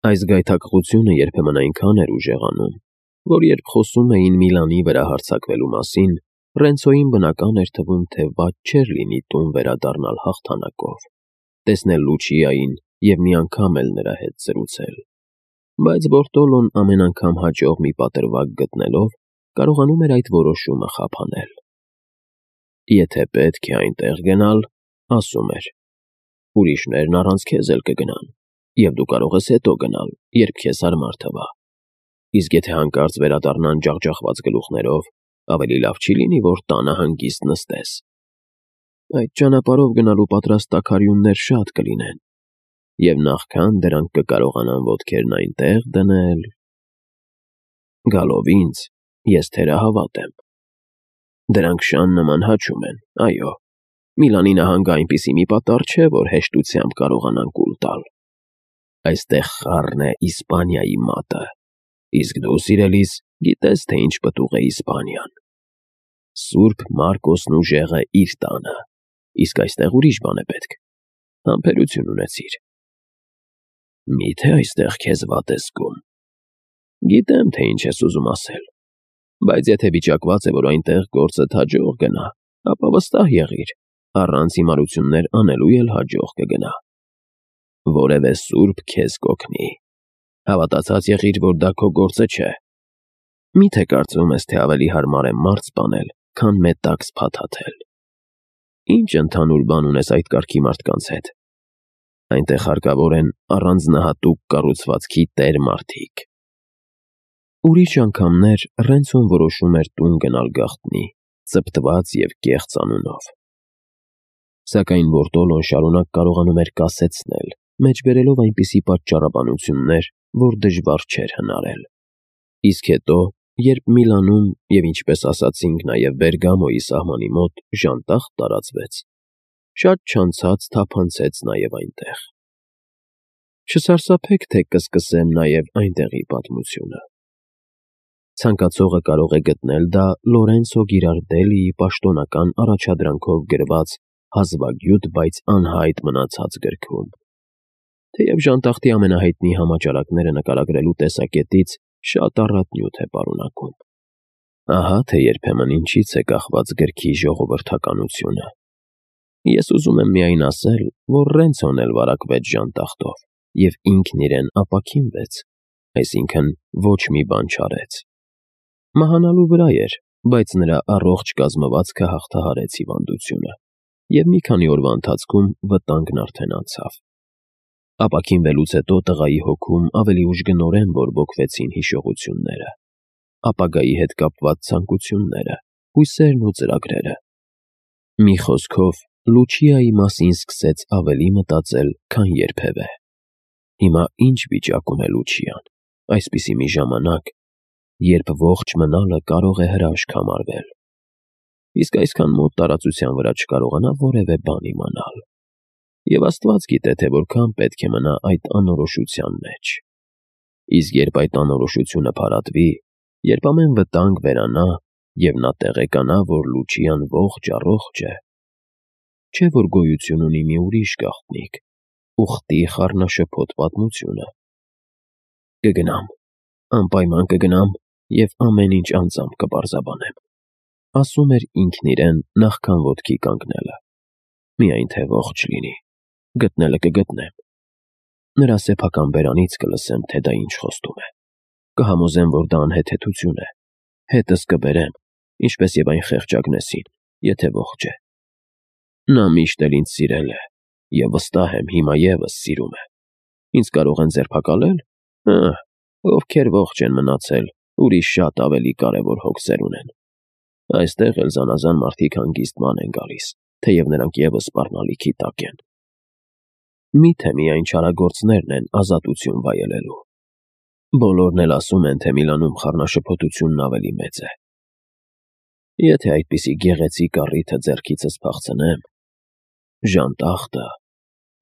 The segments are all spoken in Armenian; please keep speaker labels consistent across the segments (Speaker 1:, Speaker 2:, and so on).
Speaker 1: Այս գայթակղությունը երբեմն այնքան էր ուժեղանում, որ երբ խոսում էին Միլանի վրա հարձակվելու մասին, Ռենցոյին բնական էր թվում, թե վատ չէր լինի տուն վերադառնալ հաղթանակով, տեսնել Լուչիային և մի անգամ էլ նրա հետ զրուցել։ Բայց Բորտոլոն ամեն անգամ հաջող մի պատրվակ գտնելով կարողանում էր այդ որոշումը խափանել։ Եթե պետք է այնտեղ գնալ, ասում էր, ուրիշներն առանց քեզ էլ կգնան, և դու կարող ես հետո գնալ, երբ քեզ հարմար թվա։ Իսկ եթե հանկարծ վերադառնան ջախջախված գլուխներով, ավելի լավ չի լինի, որ տանը հանգիստ նստես։ Այդ ճանապարհով գնալու պատրաստ տաքարյուններ շատ կլինեն, և նախքան դրանք կկարողանան ոտքերն այնտեղ դնել… Գալով ինձ, ես թերահավատ եմ։ Դրանք շան նման հաչում են, այո, Միլանի նահանգը այնպիսի մի պատառ չէ, որ հեշտությամբ կարողանան կուլ տալ։ Այստեղ խառն է Իսպանիայի մատը, իսկ դու, սիրելիս, գիտես, թե ինչ պտուղ է Իսպանիան։ Սուրբ Մարկոսն ուժեղը իր տանը, իսկ այստեղ ուրիշ բան է պետք։ Համբերություն ունեցիր։ Մի՞թե այստեղ քեզ վատ ես զգում։ Գիտեմ, թե ինչ ես ուզում ասել, բայց եթե վիճակված է, որ այնտեղ գործդ հաջող գնա, ապա վստահ եղիր, առանց հիմարություններ անելու էլ հաջող կգնա։ Որևէ սուրբ քեզ կօգնի։ Հավատացած եղիր, որ դա քո գործը չէ։ Մի՞թե կարծում ես, թե ավելի հարմար է մարդ սպանել, քան մետաքս փաթաթել։ Ինչ ընդհանուր բան ունես այդ կարգի մարդկանց հետ։ Այնտեղ հարկավոր են առանձնահատուկ կառուցվածքի տեր մարդիկ։ Ուրիշ անգամներ Ռենցոն որոշում էր տուն գնալ գաղտնի, ծպտված և կեղծ անունով։ Սակայն Բորտոլոն շարունակ կարողանում էր կասեցնել, մեջբերելով այնպիսի պատճառաբանություններ, որ դժվար չէր հնարել։ Իսկ հետո, երբ Միլանում և, ինչպես ասացինք, նաև Բերգամոյի սահմանի մոտ ժանտախ տարածվեց, շատ չանցած թափանցեց նաև այնտեղ։ Չսարսափեք, թե կսկսեմ նաև այնտեղի պատմությունը։ Ցանկացողը կարող է գտնել դա Լորենցո Գիրարդելիի պաշտոնական առաջադրանքով գրված հազվագյուտ, բայց անհայտ մնացած գրքում։ Թեև ժանտախտի ամենահայտնի համաճարակները նկարագրելու տեսակետից շատ առատ նյութ է պարունակում։ Ահա թե երբեմն ինչից է կախված գրքի ժողովրդականությունը։ Ես ուզում եմ միայն ասել, որ Ռենցոն էլ վարակվեց ժանտախտով և ինքն իրեն ապաքինվեց, այսինքն ոչ մի բան չարեց։ Մահանալու վրա էր, բայց նրա առողջ կազմվածքը հաղթահարեց հիվանդությունը, և մի քանի օրվա ընթացքում վտանգն արդեն անցավ։ Ապաքինվելուց հետո տղայի հոգում ավելի ուժգնորեն բորբոքվեցին հիշողությունները, ապագայի հետ կապված ցանկությունները, հույսերն ու ծրագրերը։ Մի խոսքով, Լուչիայի մասին սկսեց ավելի մտածել, քան երբևէ։ Հիմա ինչ վիճակում է Լուչիան, այսպիսի մի ժամանակ, երբ ողջ մնալը կարող է հրաշք համարվել, իսկ այսքան մոտ տարածության վրա չկարողանա որևէ բան իմանալ։ Եվ Աստված գիտե, թե որքան պետք է մնա այդ անորոշության մեջ։ Իսկ երբ այդ անորոշությունը փարատվի, երբ ամեն վտանգ վերանա, և նա տեղեկանա, որ Լուչիան ողջ առողջ է, չէ՞ որ գոյություն ունի մի ուրիշ գաղտնիք, ուխտի խառնաշփոթ պատմությունը։ Կգնամ, անպայման կգնամ և ամեն ինչ անձամբ կպարզաբանեմ, ասում էր ինքն իրեն նախքան ոտքի կանգնելը։ Միայն թե ողջ լինի, գտնելը կգտնեմ։ Նրա սեփական բերանից կլսեմ, թե դա ինչ խոստում է։ Կհամոզեմ, որ դա անհեթեթություն է, հետս կբերեմ, ինչպես և այն խեղճ Ագնեսին, եթե ողջ է։ Նա միշտ էլ ինձ սիրել է, և վստահ եմ, հիմա ևս սիրում է։ Ինձ կարող են ձերբակալել։ Ովքեր ողջ են մնացել, ուրիշ շատ ավելի կարևոր հոգսեր ունեն։ Այստեղ էլ զանազան մարդիկ հանգիստ ման են գալիս, թեև նրանք ևս սպառնալիքի տակ են։ Մի՞թե միայն չարագործներն են ազատություն վայելելու։ Բոլորն էլ ասում են, թե Միլանում խառնաշփոթությունն ավելի մեծ է։ Եթե այդպիսի գեղեցիկ առիթը ձեռքիցս փախցնեմ… Ժանտախտը…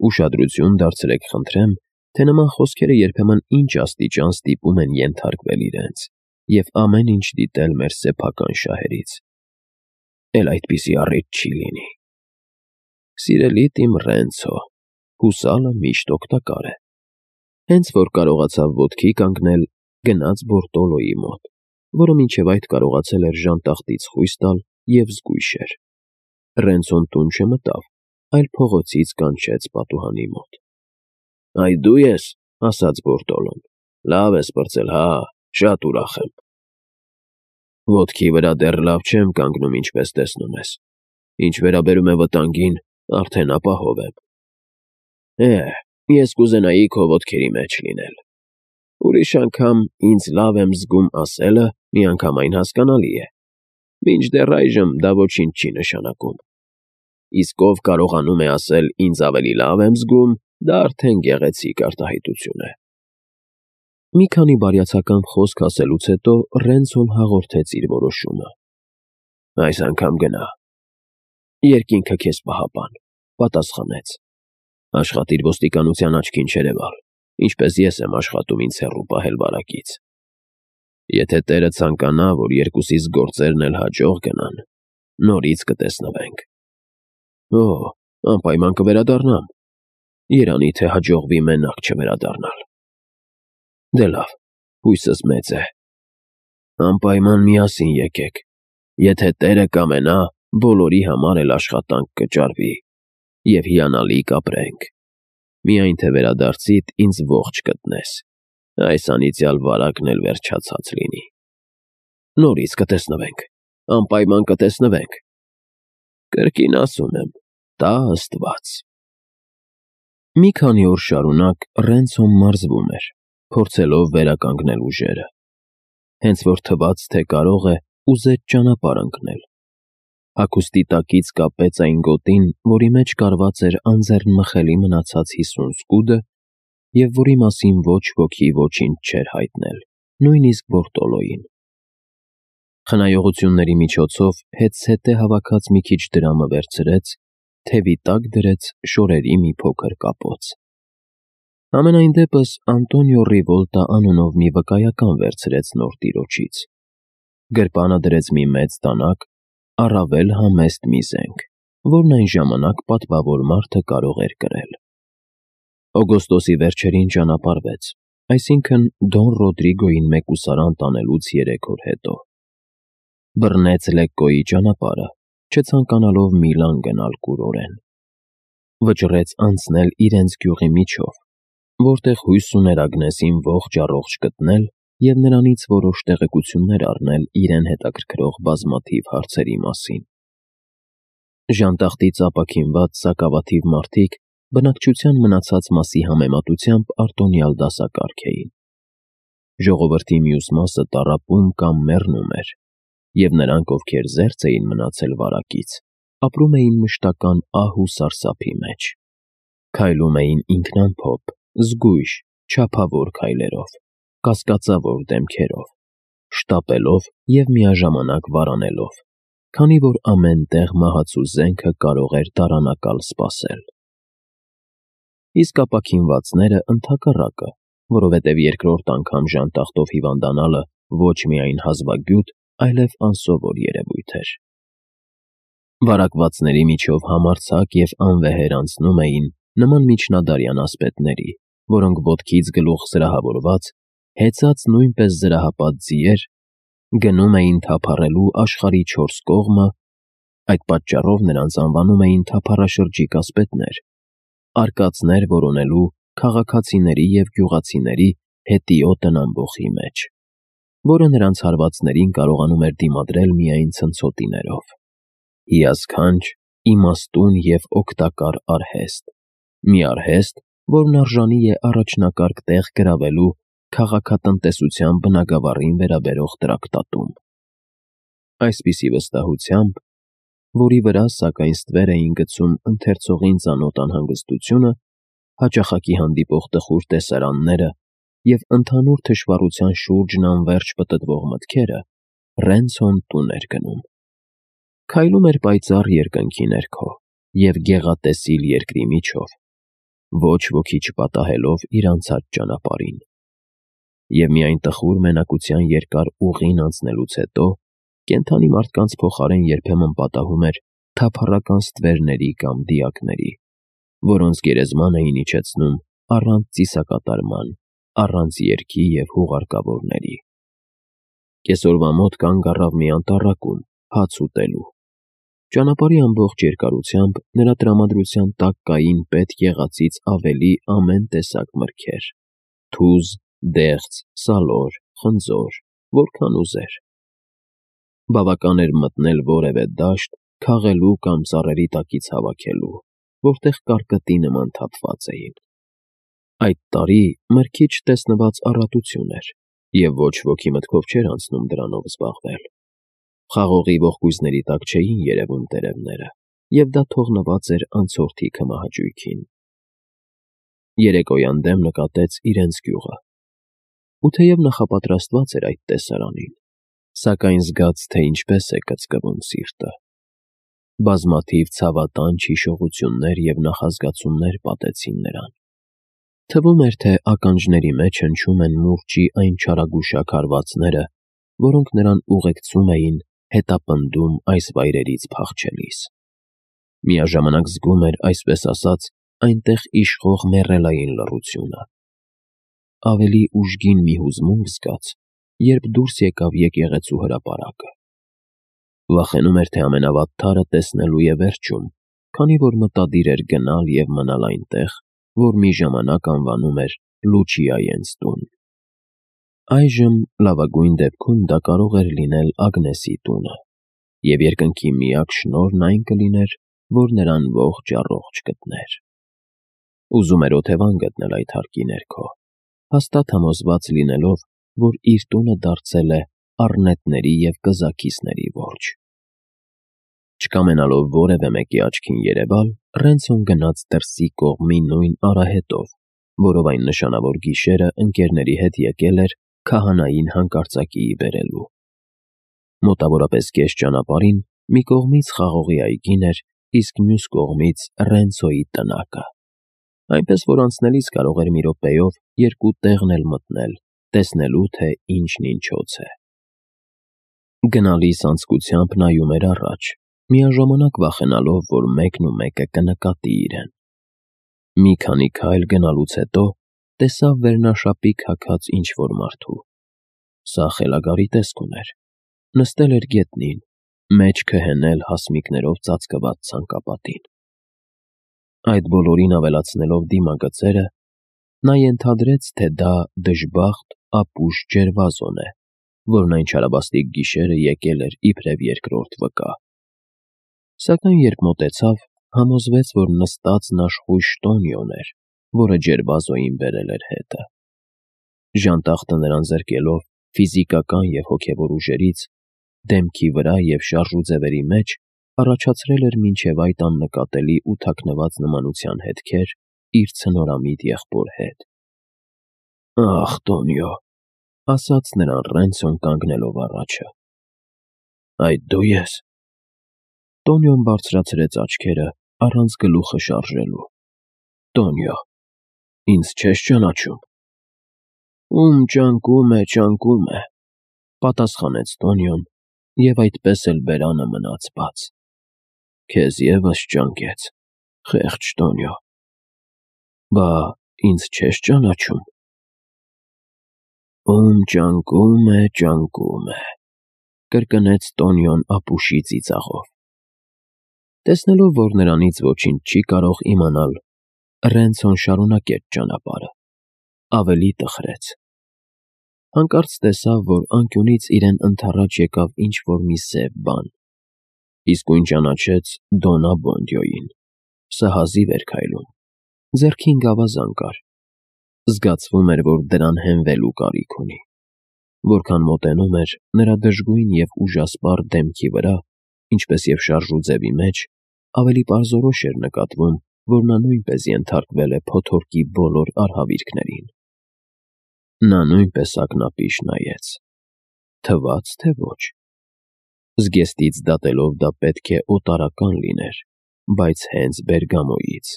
Speaker 1: Ուշադրություն դարձրեք, խնդրեմ, թե նման խոսքերը երբեմն ինչ աստիճան ստիպում են ենթարկվել իրենց և ամեն ինչ դիտել մեր սեփական շահերից։ Էլ այդպիսի առիթ չի լինի։ Սիրելիդ իմ Ռենցո, հուսալը միշտ օգտակար է։ Հենց որ կարողացավ ոտքի կանգնել, գնաց Բորտոլոյի մոտ, որը մինչև այդ կարողացել էր ժանտախտից խույս տալ և զգույշ էր։ Ռենցոն տուն չմտավ, այլ փողոցից կանչեց պատուհանի մոտ։ «Այ դու ես», ասաց Բորտոլոն, «լավ ես պրծել, հա, շատ ուրախ եմ»։ «Ոտքի վրա դեռ լավ չեմ կանգնում, ինչպես տեսնում ես։ Ինչ վերաբերում է վտանգին, արդեն ապահով եմ։ Ես կուզենայի քո ոտքերի մեջ լինել։ Ուրիշ անգամ ինձ լավ եմ զգում ասելը միանգամայն հասկանալի է։ Մինչդեռ այժմ դա ոչինչ չի նշանակում։ Իսկ ով կարողանում է ասել ինձ ավելի լավ եմ զգում, դա արդեն գեղեցիկ արտահայտություն է»։ Մի քանի բարյացակամ խոսք ասելուց հետո Ռենցոն հաղորդեց իր որոշումը։ «Այս անգամ գնա։ Երկինքը քեզ պահապան», պատասխանեց։ «Աշխատիր ոստիկանության աչքին չերևալ, ինչպես ես եմ աշխատում ինձ հեռու պահել վարակից։ Եթե Տերը ցանկանա, որ երկուսիս գործերն էլ հաջող գնան, նորից կտեսնվենք»։ Անպայման կվերադառնամ։ Երանի թե հաջողվի մենակ չվերադառնալ։ Դե լավ, հույսս մեծ է։ Անպայման միասին եկեք։ Եթե Տերը կամենա, բոլորի համար էլ աշխատանք կճարվի, և հիանալի կապրենք։ Միայն թե վերադարձիդ ինձ ողջ գտնես, այս անիծյալ վարակն էլ վերջացած լինի։ Նորից կտեսնվենք, անպայման կտեսնվենք։ Կրկին ասում եմ, տա Աստված։ Մի քանի օր շարունակ Ռենցոն մարզվում էր, փորձելով վերականգնել ուժերը։ Հենց որ թվաց, թե կարող է, ուզեց ճանապարհ ընկնել։ Հագուստի տակից կապեց այն գոտին, որի մեջ կարված էր անձեռնմխելի մնացած 50 սկուդը, և որի մասին ոչ ոքի ոչինչ չէր հայտնել, նույնիսկ Բորտոլոյին։ Խնայողությունների միջոցով հետզհետե հավաքած մի քիչ դրամը վերցրեց, թևի տակ դրեց շորերի մի փոքր կապոց։ Համենայն դեպս Անտոնիո Ռիվոլտա անունով մի վկայական վերցրեց նոր տիրոջից։ Գրպանը դրեց մի մեծ դանակ, առավել համեստ մի զենք, որն այն ժամանակ պատվավոր մարդը կարող էր կրել։ Օգոստոսի վերջերին ճանապարհվեց, այսինքն Դոն Ռոդրիգոյին մեկուսարան տանելուց 3 օր հետո։ Բռնեց Լեկկոյի ճանապարհը, չցանկանալով Միլան գնալ կուրորեն։ Վճռեց անցնել իրենց գյուղի միջով, որտեղ հույս ուներ Ագնեսին ողջ-առողջ գտնել և նրանից որոշ տեղեկություններ առնել իրեն հետաքրքրող բազմաթիվ հարցերի մասին։ Ժանտախտից ապաքինված սակավաթիվ մարդիկ բնակչության մնացած մասի համեմատությամբ արտոնյալ դասակարգ էին։ Ժողովրդի մյուս մասը տառապում կամ մեռնում էր, և նրանք, ովքեր զերծ էին մնացել վարակից, ապրում էին մշտական ահ ու սարսափի մեջ։ Քայլում էին ինքնամփոփ, զգույշ, չափավոր քայլերով, կասկածավոր դեմքերով, շտապելով և միաժամանակ վարանելով, քանի որ ամեն տեղ մահացու զենքը կարող էր դարանակալ սպասել։ Իսկ ապաքինվածները ընդհակառակը, որովհետև երկրորդ անգամ ժանտախտով հիվանդանալը ոչ միայն հազվագյուտ, այլև անսովոր երևույթ էր։ Վարակվածների միջով համարձակ և անվեհեր անցնում էին նման միջնադարյան ասպետների, որոնք ոտքից գլուխ զրահավորված, հեծած նույնպես զրահապատ ձիեր, գնում էին թափառելու աշխարհի 4 կողմը, այդ պատճառով նրանց անվանում էին թափառաշրջիկ ասպետներ, արկածներ որոնելու քաղաքացիների և գյուղացիների հետիոտն ամբոխի մեջ, որը նրանց հարվածներին կարողանում էր դիմադրել միայն ցնցոտիներով։ Հիասքանչ, իմաստուն և օգտակար արհեստ, մի արհեստ, որն արժանի է առաջնակարգ տեղ գրավելու քաղաքատնտեսության բնագավառին վերաբերող տրակտատում։ Այսպիսի վստահությամբ, որի վրա սակայն ստվեր էին գցում ընթերցողին ծանոթ անհանգստությունը, հաճախակի հանդիպող տխուր տեսարանները և ընդհանուր թշվառության շուրջն անվերջ պտտվող մտքերը, Ռենցոն տուն էր գնում։ Քայլում էր պայծառ երկնքի ներքո և գեղատեսիլ երկրի միջով, ոչ ոքի չպատահելով իր անցած ճանապարհին։ Եվ միայն տխուր մենակության երկար ուղին անցնելուց հետո կենդանի մարդկանց փոխարեն երբեմն պատահում էր թափառական ստվերների կամ դիակների, որոնց գերեզման էին իջեցնում առանց ծիսակատարման, առանց երգի և հուղարկավորների։ Կեսօրվա մոտ կանգ առավ մի անտառակում, հաց ուտելու։ Ճանապարհի ամբողջ երկարությամբ նրա տրամադրության տակ կային պետք եղածից ավելի ամեն տեսակ մրգեր՝ թուզ, դեղց, սալոր, խնձոր, որքան ուզեր։ Բավական էր մտնել որևէ դաշտ, քաղելու կամ ծառերի տակից հավաքելու, որտեղ կարկտի նման թափված էին։ Այդ տարի մրգի չտեսնված առատություն էր, և ոչ ոքի մտքով չէր անցնում դրանով զբաղվել։ Խաղողի ողկույզների տակ չէին երևում տերևները, և դա թողնված էր անցորդի քմահաճույքին։ Երեկոյան դեմ նկատեց իրենց գյուղը։ Ու թեև նախապատրաստված էր այդ տեսարանին, սակայն զգաց, թե ինչպես է կծկվում սիրտը։ Բազմաթիվ ցավատանչ հիշողություններ և նախազգացումներ պատեցին նրան։ Թվում էր, թե ականջների մեջ հնչում են մուրճի այն չարագուշակ հարվածները, որոնք նրան ուղեկցում էին, հետապնդում այս վայրերից փախչելիս։ Միաժամանակ զգում էր, այսպես ասած, այնտեղ իշխող մեռելային լռությունը։ Ավելի ուժգին մի հուզմունք զգաց, երբ դուրս եկավ եկեղեցու հրապարակը։ Վախենում էր, թե ամենավատթարը տեսնելու է վերջում, քանի որ մտադիր էր գնալ և մնալ այնտեղ, որ մի ժամանակ անվանում էր Լուչիայենց տուն։ Այժմ լավագույն դեպքում դա կարող էր լինել Ագնեսի տունը, և երկնքի միակ շնորհն այն կլիներ, որ նրան ողջ-առողջ գտներ։ Ուզում էր օթևան գտնել այդ հարկի ներքո, հաստատ համոզված լինելով, որ իր տունը դարձել է առնետների և կզաքիսների որջը։ Չկամենալով որևէ մեկի աչքին երևալ, Ռենցոն գնաց դրսի կողմի նույն արահետով, որով այն նշանավոր գիշերը ընկերների հետ եկել էր քահանային հանկարծակիի բերելու։ Մոտավորապես կես ճանապարհին մի կողմից խաղողի այգին էր, իսկ մյուս կողմից Ռենցոյի տնակը, այնպես որ անցնելիս կարող էր մի րոպեով երկու տեղն էլ մտնել, տեսնելու, թե ինչն ինչոց է։ Գնալիս անձկությամբ նայում էր առաջ, միաժամանակ վախենալով, որ մեկն ու մեկը կնկատի իրեն։ Մի քանի քայլ գնալուց հետո տեսավ վերնաշապիկ հագած ինչ-որ մարդու։ Սա խելագարի տեսք ուներ։ Նստել էր գետնին, մեջքը հենել հասմիկներով ծածկված ցանկապատին։ Այդ բոլորին ավելացնելով դիմագծերը, նա ենթադրեց, թե դա դժբախտ ապուշ Ջերվազոն է, որն այն չարաբաստիկ գիշերը եկել էր իբրև երկրորդ վկա։ Սակայն երբ մոտեցավ, համոզվեց, որ նստածն աշխույժ Տոնիոն էր, որը Ջերվազոյին բերել էր հետը։ Ժանտախտը նրան զրկելով ֆիզիկական և հոգևոր ուժերից, դեմքի վրա և շարժուձևերի մեջ առաջացրել էր մինչև այդ աննկատելի ու թաքնված նմանության հետքեր իր ցնորամիտ եղբոր հետ։ «Ախ, Տոնիո», ասաց նրան Ռենցոն կանգնելով առաջը։ «Այդ դու ես»։ Տոնիոն բարձրացրեց աչքերը, առանց գլուխը շարժելու։ «Տոնիո, ինձ չես ճանաչում»։ «Ում ճանկում է», պատասխանեց Տոնիոն, և այդպես էլ բերանը մնաց բաց։ «Քեզ ևս ճանկեց, խեղճ Տոնիո»։ «Բա ինձ չես ճանաչում»։ «Ում ճանկում է», կրկնեց Տոնիոն ապուշի ծիծաղով։ Տեսնելով, որ նրանից ոչինչ չի կարող իմանալ, Ռենցոն շարունակեց ճանապարհը, ավելի տխրեց։ Հանկարծ տեսավ, որ անկյունից իրեն ընդառաջ եկավ ինչ-որ մի սև բան, իսկույն ճանաչեց Դոննա Բոնդյոյին։ Սա հազիվ էր քայլում, ձեռքին գավազան կար։ Զգացվում էր, որ դրան հենվելու կարիք ունի։ Որքան մոտենում էր, նրա դժգույն և ուժասպառ դեմքի վրա, ինչպես և շարժուձևի մեջ, ավելի պարզորոշ էր նկատվում, որ նա նույնպես ենթարկվել է փոթորկի բոլոր արհավիրքներին։ Նա նույնպես ակնապիշ նայեց։ Թվաց, թե ոչ։ Զգեստից դատելով դա պետք է օտարական լիներ, բայց հենց Բերգամոյից։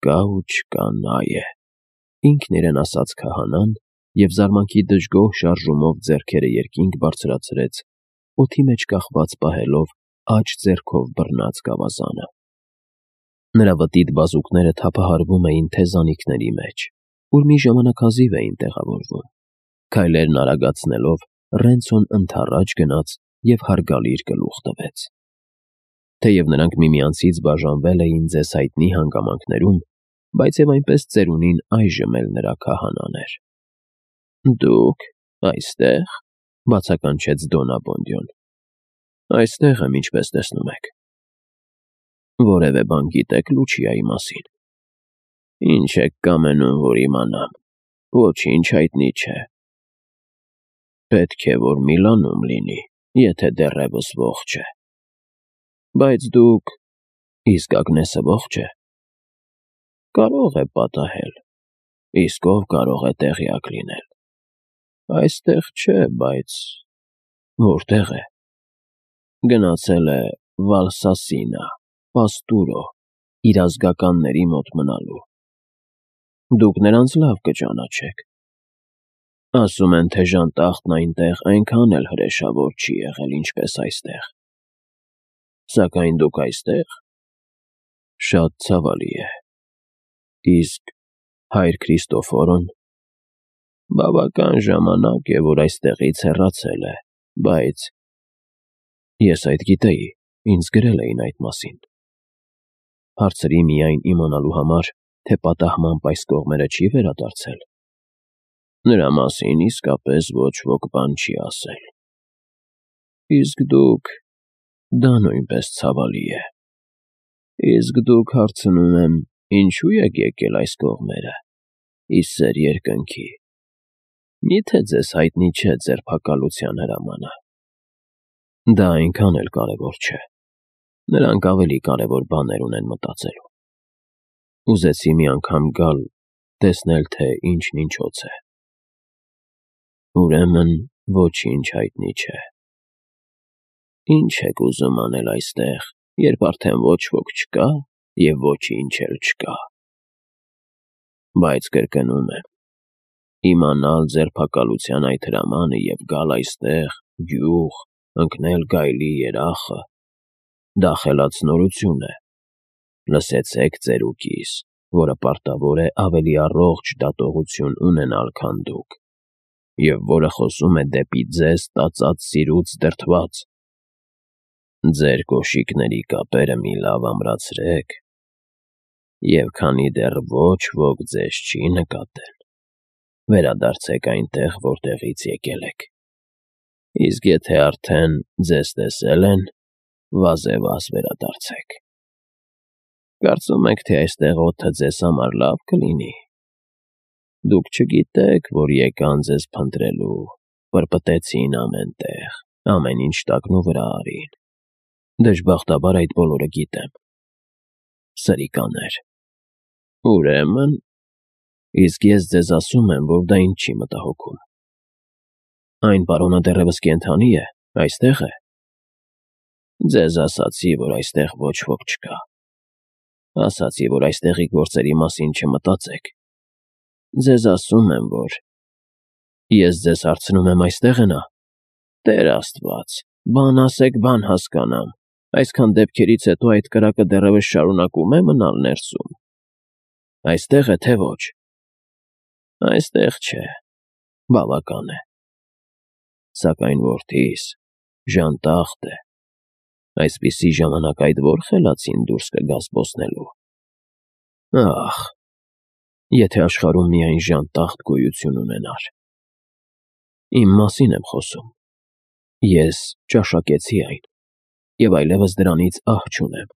Speaker 1: «Կա ու չկա, նա է», ինքն իրեն ասաց քահանան և զարմանքի դժգոհ շարժումով ձեռքերը երկինք բարձրացրեց, օդի մեջ կախված պահելով աջ ձեռքով բռնած գավազանը։ Նրա վտիտ բազուկները թափահարվում էին թեզանիքների մեջ, որ մի ժամանակ հազիվ էին տեղավորվում։ Քայլերն արագացնելով, Ռենցոն ընդառաջ գնաց և հարգալի իր գլուխ տվեց։ Թեև նրանք միմյանցից բաժանվել էին ձեզ հայտնի հանգամանքներում, բայց և այնպես ծերունին այժմ էլ նրա քահանան էր։ «Դուք այստե՞ղ», բացականչեց Դոննա Բոնդյոն։ «Այստեղ եմ, ինչպես տեսնում եք»։ «Որևէ բան գիտեք Լուչիայի մասին»։ «Ինչ եք կամենում, որ իմանամ։ Ոչինչ հայտնի չէ»։ «Պետք է, որ Միլանում լինի, եթե դեռևս ողջ է»։ «Բայց դուք… Իսկ Ագնեսը ողջ է»։ «Կարող է պատահել, իսկ ով կարող է տեղյակ լինել»։ «Այստեղ չէ, բայց…» «Որտեղ է»։ «Գնացել է Վալսասինա, Պաստուրո, իր ազգականների մոտ մնալու»։ «Դուք նրանց լավ կճանաչեք»։ «Ասում են, թե ժանտախտն այնտեղ այնքան էլ հրեշավոր չի եղել, ինչպես այստեղ»։ «Սակայն դուք այստեղ»։ «Շատ ցավալի է»։ «Իսկ հայր Քրիստոֆորոն»։ «Բավական ժամանակ է, որ այստեղից հեռացել է, բայց…» «Ես այդ գիտեի, ինձ գրել էին այդ մասին»։ Հարցրի միայն իմանալու համար, թե պատահմամբ այս կողմերը չի վերադարձել։ «Նրա մասին իսկապես ոչ ոք բան չի ասել»։ «Իսկ դուք… Դա նույնպես ցավալի է»։ «Իսկ դուք, հարցնում եմ, ինչու եք եկել այս կողմերը, ի սեր երկնքի։ Մի՞թե ձեզ հայտնի չէ ձերբակալության հրամանը»։ «Դա այնքան էլ կարևոր չէ։ Նրանք ավելի կարևոր բաներ ունեն մտածելու»։ Ուզեցի մի անգամ գալ, տեսնել, թե ինչն ինչոց է։ «Ուրեմն ոչինչ հայտնի չէ։ Ինչ եք ուզում անել այստեղ, երբ արդեն ոչ ոք չկա և ոչինչ էլ չկա»։ «Բայց կրկնում եմ, իմանալ ձերբակալության այդ հրամանը և գալ այստեղ, գյուղ, ընկնել գայլի երախը… Դա խելացնորություն է։ Լսեցեք ծերուկիս, որը պարտավոր է ավելի առողջ դատողություն ունենալ, քան դուք, և որը խոսում է դեպի ձեզ տածած սիրուց դրդված։ Ձեր կոշիկների կապերը մի լավ ամրացրեք, և քանի դեռ ոչ ոք ձեզ չի նկատել, վերադարձեք այնտեղ, որտեղից եկել եք։ Իսկ եթե արդեն ձեզ տեսել են, վազևազ վերադարձեք։ Կարծում եք, թե այստեղ օդը ձեզ համար լավ կլինի։ Դուք չգիտեք, որ եկան ձեզ փնտրելու, պրպտեցին ամեն տեղ, ամեն ինչ տակնուվրա արին։ Դժբախտաբար այդ բոլորը գիտեմ։ Սրիկաներ։ Ուրեմն… Իսկ ես ձեզ ասում եմ, որ դա ինձ չի մտահոգում։ Այն պարոնը դեռևս կենդանի է, այստեղ է։ Ձեզ ասացի, որ այստեղ ոչ ոք չկա։ Ասացի, որ այստեղի գործերի մասին չմտածեք։ Ձեզ ասում եմ, որ… Ես ձեզ հարցնում եմ, այստեղ է նա։ Տեր Աստված, բան ասեք, բան հասկանամ։ Այսքան դեպքերից հետո այդ կրակը դեռևս շարունակում է մնալ ներսում։ Այստեղ է, թե ոչ։ Այստեղ չէ։ Բավական է։ Սակայն որդիս, ժանտախտ է։ Այսպիսի ժամանակ այդ որ խելացին դուրս կգա զբոսնելու։ Ախ, եթե աշխարհում միայն ժանտախտ գոյություն ունենար։ Իմ մասին եմ խոսում։ Ես ճաշակեցի այն, և այլևս դրանից ահ չունեմ։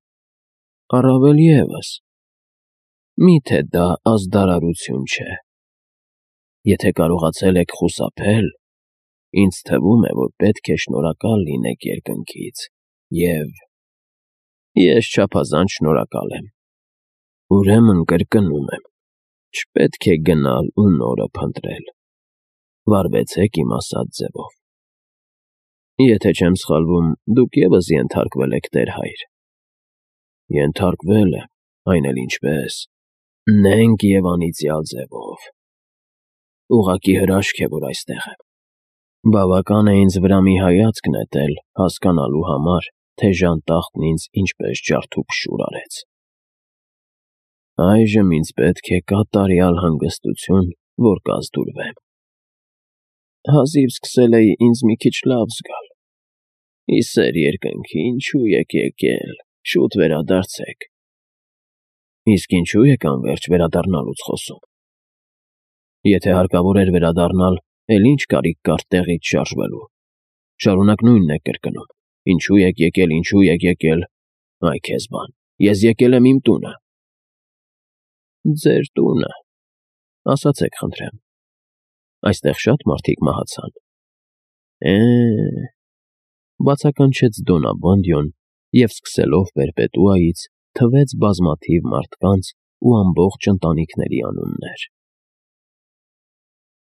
Speaker 1: Առավել ևս, մի՞թե դա ազդարարություն չէ։ Եթե կարողացել եք խուսափել, ինձ թվում է, որ պետք է շնորհակալ լինեք երկնքից, և… Ես չափազանց շնորհակալ եմ։ Ուրեմն կրկնում եմ, չպետք է գնալ ու նորը փնտրել։ Վարվեցեք իմ ասած ձևով։ Եթե չեմ սխալվում, դուք ևս ենթարկվել եք տեր-հայր։ Ենթարկվել եմ, այն էլ ինչպես… նենգ և անիծյալ ձևով։ Ուղղակի հրաշք է, որ այստեղ եմ։ Բավական է ինձ վրա մի հայացք նետել, հասկանալու համար, թե ժանտախտն ինձ ինչպես ջարդուփշուր արեց։ Այժմ ինձ պետք է կատարյալ հանգստություն, որ կազդուրվեմ։ Հազիվ սկսել էի ինձ մի քիչ լավ զգալ։ Ի սեր երկնքի, ինչու եք եկել, շուտ վերադարձեք։ Իսկ ինչու եք անվերջ վերադառնալուց խոսում։ Եթե հարկավոր էր վերադառնալ, էլ ինչ կարիք կար տեղից շարժվելու։ Շարունակ նույնն եք կրկնում. ինչու եք եկել, այ քեզ բան, ես եկել եմ իմ տունը։ Ձեր տունը, ասացեք խնդրեմ, այստեղ շատ մարդիկ մահացան։ Բացականչեց Դոննա Բոնդյոն և սկսելով պերպետուայից թվեց բազմաթիվ մարդկանց ու ամբողջ ընտանիքների անուններ։